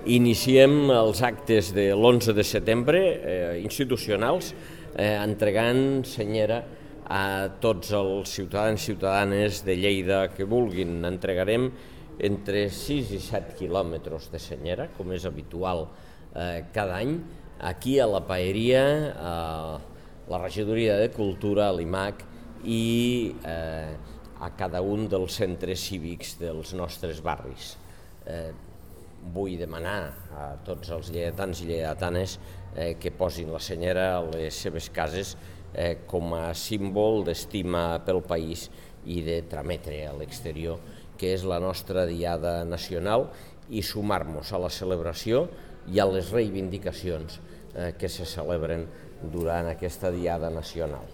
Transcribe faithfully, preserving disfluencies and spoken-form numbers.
Iniciem els actes de l'onze de setembre eh, institucionals eh, entregant senyera a tots els ciutadans i ciutadanes de Lleida que vulguin. Entregarem entre sis i set quilòmetres de senyera, com és habitual eh, cada any, aquí a la Paeria, a la Regidoria de Cultura, a l'I M A C i eh, a cada un dels centres cívics dels nostres barris. Eh, vull demanar a tots els lleidatans i lleidatanes eh, que posin la senyera a les seves cases eh, com a símbol d'estima pel país i de trametre a l'exterior, que és la nostra diada nacional, i sumar-nos a la celebració i a les reivindicacions eh, que se celebren durant aquesta diada nacional.